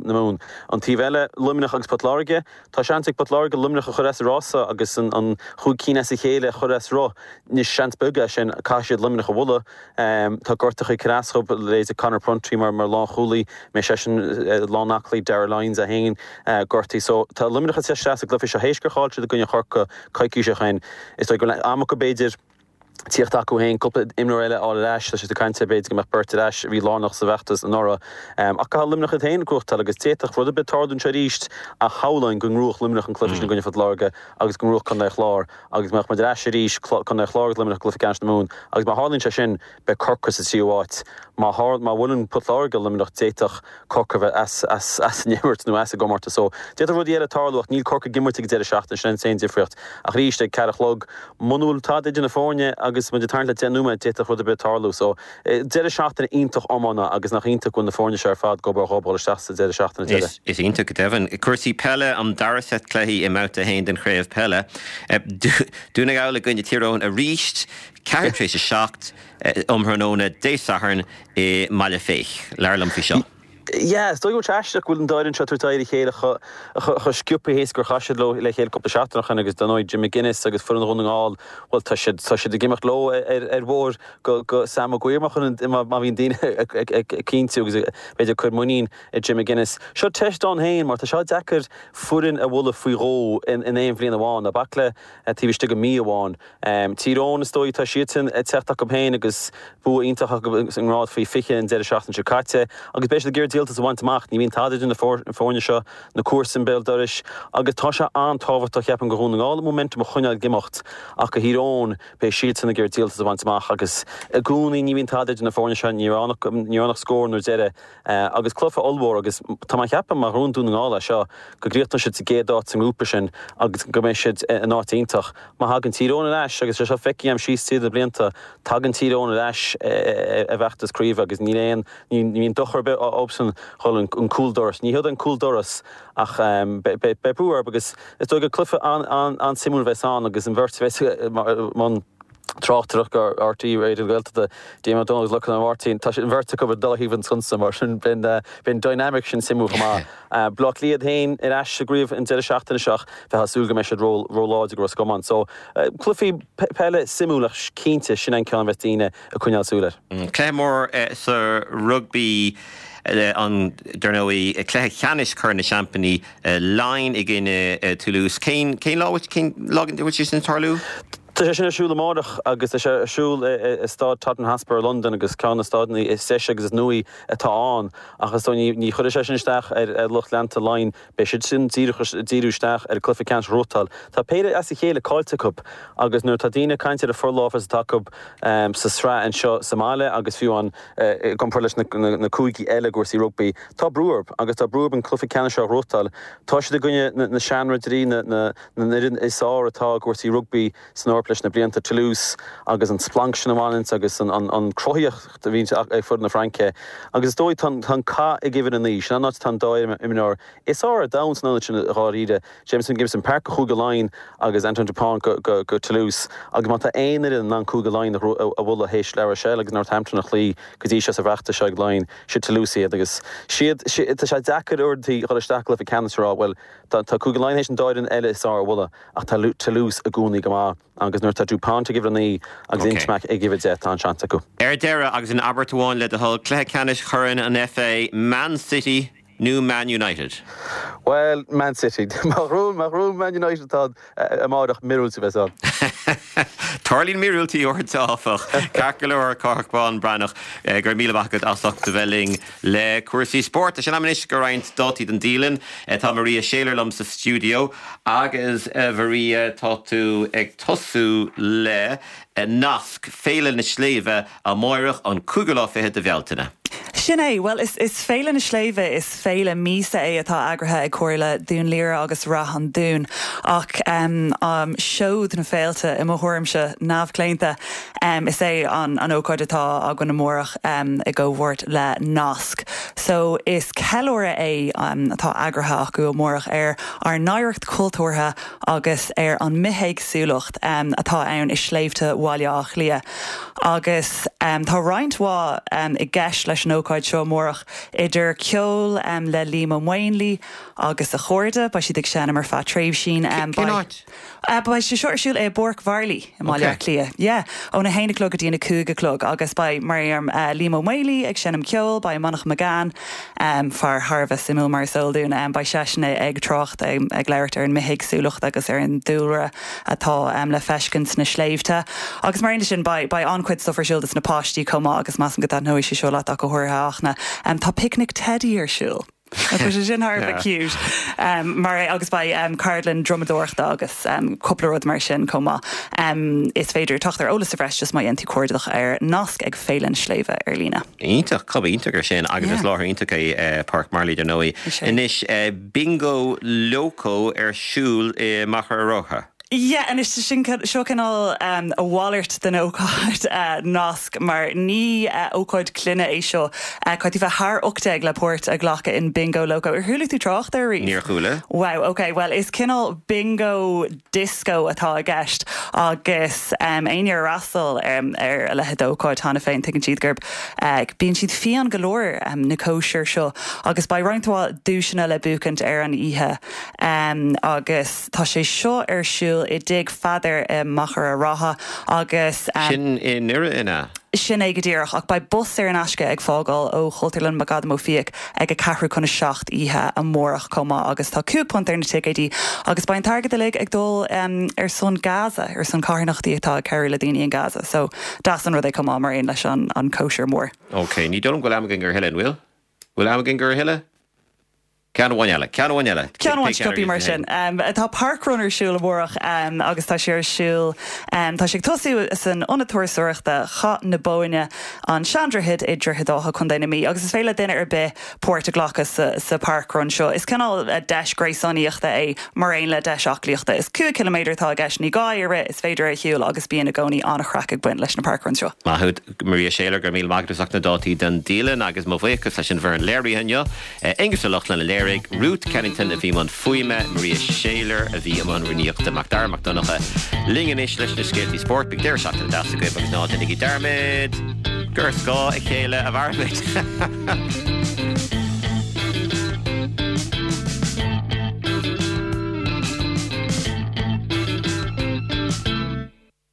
na Mumhan. An taobh eile, Luimneach agus Port Láirge, tá seans ag Port Láirge Luimneach a chur as an rása agus an chúig cinn as a chéile a chur as rith. Anois seans beag é sin, caithfidh siad Luimneach a bhualadh. Tá gortuithe ag cur as dhóibh, leithéidí Conor Prunty mar lánchúlaí, mbeidh seisean lán aclaí, Darragh Lyons é féin gortaithe. So tá Luimneach ag teacht isteach sa gcluiche seo théis gur chaill siad i gcoinne Chorcaí coicís ó shin. Is dóigh go bhfuil am acu b'fhéidir tíocht acu féin, cúpla imreoir eile a fháil ar ais. Tá siad ag caint ar b'fhéidir go mbeadh beirt ar ais a bhí lárnach sa bhfeachtas anuraidh. Ach caithfidh Luimneach iad féin a ghnóthachtáil agus d'fhéadfadh rud ar bith tarlú anseo arís ach shamhlóinn go ngnóthódh Luimneach an cluiche sin i gcoinne Phort Láirge agus go ngnóthódh Contae an Chláir agus go mbeadh muid ar ais arís, Contae an Chláir agus Luimneach i gcluiche ceannais na Mumhan agus má tharlaíonn sé sin, beidh Corcaigh sa tríú háit. Má tharla, má bhuaileann Port Láirge Luimneach, d'fhéadfadh Corcaigh a bheith as, as, as an imirt nó as an gcomórtas. So, d'fhéadfadh rudaí eile tarlú ach níl Corcaigh ag imirt ag an deireadh seachtaine, sin an t-aon difríocht. Ach arís, ag ceathair a chlog, muna bhfuil tada idir na foirne agus muid ag tarraingt le deich nóiméad, d'fhéadfadh rud ar bith tarlú. So, deireadh seachtaine iontach iomána agus nach iontach go bhfuil na foirne seo ar fad ag obair dhóibh dhul isteach sa deireadh seachtaine deiridh. Is iontach go deimhin. Cúrsaí peile, an dara seit cluichí i mBabhta 1 den chraobh peile. Dún na nGall i gcoinne Tír Eoghain arís, 7 tar éis 7 um thráthnóna Dé Sathairn i mBaile Féich. Labhair liom faoi seo. Yeah, is dóigh go bhfuil sé aisteach go bhfuil an dá fhoireann seo ag tabhairt aghaidh ar a chéile chomh sciobtha théis gur chas siad leo le chéile cúpla seachtain ó shin agus dar ndóigh Jim McGuinness agus foireann Dhún na nGall, bhuel tá siad, tá siad ag imeacht leo ar ar bhóthar go go Sam Maguire má chuireann, má má bhíonn daoine ag ag cinntiú agus b'fhéidir ag cur muinín i Jim McGuinness. Seo teist ann féin mar tá sé deacair foireann a bhualadh faoi dhó in in aon bhliain amháin, ná bac le taobh istigh de mhí amháin. Tír Eoghain, is dóigh, tá siadsan ag teacht acu féin agus bua iontach acu sa ngrád faoi 20 an deireadh seachtaine seo caite agus beidh siad ag iarraidh díoltas a bhaint amach. Ní bhíonn tada idir na foirne seo, na comharsana béal dorais agus tá sé an-tábhachtach, cheapfainn, do Dhún na nGall an momentum a choinneáil ag imeacht ach do Thír Eoghain, beidh siadsan ag iarraidh díoltas a bhaint amach agus i gcónaí ní bhíonn tada idir na foirne seo, ní raibh ann ach scór nuair deireadh agus cluiche ollmhór agus tá mé ag ceapadh má ghnóthaíonn Dún na nGall é seo go gcríochnóidh siad sa gcéad áit sa ngrúpa sin agus go mbeidh siad in áit iontach. Má thagann Tír Eoghain ar ais, agus tá sé seo feicthe agam síos tríd na blianta, tagann Tír Eoghain ar ais i bhfeachtas craoibhe agus níl aon, ní bhíonn dochar ar bith dhóibhsean dhul an cúldoras. Ní hiod an cúldoras ach beidh brú orthu agus is dóigh gur cluiche an-suimiúil a bheas ann agus an bheirt a bheas i mbun tráchtaireacht ar RTÉ Raidió na Gaeltachta, Diarmuid Ó Dónaill agus Lorcán Ó Máirtín, tá an bheirt acu ag dá thaobh an sconsa mar sin beidh an dynamic sin suimiúil chomh maith. Baile Átha Cliath féin ar ais sa gcraobh an deireadh seachtaine seo ach bheifeá ag súil go mbeidh siad ró-láidir do Ros Comáin. So, cluichí peile suimiúil ach cinnte sin an ceann a bheas daoine ag coinneáil súil air. Cluiche mór sa rugbaí an, dar ndóigh, cluiche ceannais Chorn na Seaimpíní, Laighin i gcoinne Toulouse. Cén lá, cén lá a bhfuil sé sin ag tarlú? Tá sé sin ar siúl amárach agus tá sé ar siúl i Staid Tottenham Hotspur i Londain agus ceann de na staideanna is deise agus is nuaí atá ann ach is dóigh ní chuirfidh sé sin isteach ar lucht leanta Laighean. Beidh siad sin díreach ag díriú isteach ar an cluiche ceannais a ghnóthachtáil. Tá péire as a chéile caillte acu agus nuair atá daoine ag caint ar an forlámhas atá acu sa sraith anseo sa mbaile agus fiú amháin i gcomparáid leis na cúigí eile i gcúrsaí rugbaí, tá brú orthu agus tá brú orthu an cluiche ceannais seo a ghnóthachtáil. Tá siad i gcoinne na seanridirí, na. na n-fhoireann is fearr atá i gcúrsaí rugbaí san Eoraip leis na blianta, Toulouse agus an splanc sin a bhaineanns agus an cruthaíocht a bhíonns ag foireann na Fraince. Agus is dóigh tá an cath ag uimhir a 9, sin an áit atá an dá imreoir is fearr ar domhan san ionad sin dháiríre, Jamison Gibson Park go Chúige Laighean agus Antoine Dupont go Toulouse. Agus má tá aon fhoireann in ann Cúige Laighean a bhualadh théis La Rochelle agus Northampton a chloí go dtí seo sa bhfeachtas seo ag Laighin, siad Toulouse iad. Agus siad, tá sé deacair uaireanta dhul isteach i gcluiche ceannais a rá, bhuel, Tá Cúige Laighean théis an dá fhoireann eile is fearr a bhualadh ach tá Toulouse i gcónaí go maith agus nuair atá Dupont ag uimhir 9 agus Ntamack ag uimhir 10 tá an-seans acu. Ar deireadh, agus in abairt amháin le do thoil, cluiche ceannais Chorn an FA, Man City. nó Man United? Bhuel, Man City. Má ghnóthaíonn Man United tá amárach míorúilt a bheas ann. Tarlaíonn míorúiltí uaireanta, áfach. Ceart go leor, Cárthach Bán Breathnach, go raibh míle maith agat as ucht a bheith linn le cúrsaí spóirt. Tá sé in am anois do roinnt dátaí don dialann. Tá Maria Shayler liom sa stiúideo agus, a Mharia, tá tú ag tosú le nasc, Féile na Sléibhe amáireach, an cúigiú lá fichead de Bhealtaine. Sin é. Bhuel, is is Féile na Sléibhe, is féile míosa é atá eagraithe ag Comhairle Dhún Laoghaire agus Rath an Dúin. Ach seod na féilte, i mo thuairimse neamhchlaonta, is é an an ócáid atá againn amárach i gcomhpháirt le Nasc. So, is ceiliúradh é atá eagraithe acu amárach ar ár n-oidhreacht chultúrtha agus ar an mbithéagsúlacht atá ann i sléibhte Bhaile Átha Cliath. Agus tá roinnt mhaith i gceist leis an ócáid seo amárach, idir ceol le Liam Ó Maonlaí agus a chairde, beidh siad ag seinm ar feadh tréimhsín. Cén áit? Beidh sé seo ar siúl i bPáirc Mharlaí i mBaile Átha Cliath. Yeah, óna haon a chlog go dtí an a cúig a chlog agus beidh, mar a deirim, Liam Ó Maonlaí ag seinm ceoil, beidh Manchán Magan, fear thar a bheith suimiúil mar is eol dúinn, beidh seisean ag trácht, ag labhairt ar an mbithéagsúlacht agus ar an dúlra atá le feiscint sna sléibhte. Agus mar aon leis sin, beidh an-chuid stuff ar siúl dos na páistí chomh maith agus measaim go dtaitneoidh sé seo leat ach go háirithe, a Fhachtna. Tá Picnic Teidí ar siúl. Nach bhfuil sé sin thar a bheith cute? Mar agus beidh ceardlann drumadóireachta agus cúpla rud mar sin chomh maith. Is féidir teacht ar eolas sa bhreis just má dhéanann tú cuardach ar Nasc ag Féile na Sléibhe ar líne. Iontach, cuma iontach ar sin agus is láthair iontach é Páirc Marlaí dar ndóigh. Anois, Bingo Loco ar siúl i Machaire Rátha. Yeah, anois sin, seo cineál a mhalairt den ócáid Nasc mar ní ócáid clainne é seo. Caithfidh tú bheith thar 18 le páirt a ghlacadh in Bingo Loco. Ar chuala tú trácht air riamh? Níor chuala. Wow, ok, bhuel is cineál bingo disco atá i gceist agus éinne ar fhreastail ar a leithéid d'ócáid cheana féin tuigeann siad gurb Bíonn siad fiáin go leor, na cóisir seo, agus beidh roinnt mhaith duaiseanna le buachaint ar an oíche. Agus tá sé seo ar siúl i dTigh Pheadair i Machaire Rátha agus. Sin i nDoire, an ea? Sin é go díreach, ach beidh bus saor in aisce ag fágáil ó Chultúrlann McAdam Ó Fiaich ag a ceathrú chun a 7 oíche amárach chomh maith agus tá £5 ar na ticéidí agus beidh an t-airgead uilig ag dul ar son Gaza, ar son carthanachtaí atá ag cabhrú le daoine in Gaza. So, deas an rud é chomh maith mar aon leis an cóisir mór. Ok, ní dóigh liom go bhfuil am againn do a thuilleadh, an bhfuil? Bhfuil am againn do a thuilleadh? Ceann amháin eile, ceann amháin eile. Ceann amháin sciobtha mar sin. Tá parkrun ar siúl amárach agus tá sé ar siúl, tá sé ag tosú san Ionad Turasóireachta Chath na Bóinne, An Seandroichead i Droichead Átha, Contae na Mí, agus is féidir le duine ar bith páirt a ghlacadh sa parkrun seo. Is cineál deis gréasánaíochta é mar aon le deis aclaíochta. Is 5 chiliméadar atá i gceist, ní gá é a rith, is féidir é a shiúl agus bíonn i gcónaí an-chraic ag baint leis na parkruns seo. Maith thú, Maria Shayler, go raibh míle maith agat as ucht na dátaí don dialann agus mo bhuíochas leis an bhfoireann léirithe inniu, Aonghus Ó Lochlainn a léirigh, Ruth Kennington a bhí i mbun fuaime, Maria Shayler a bhí i mbun rúnaíochta, Mac Dara Mac Donncha linn anois leis na scéaltaí spóirt. Bíodh deireadh seachtaine deas agaibh agus ná déanaigí dearmad gur ar scáth a chéile a mhairimid.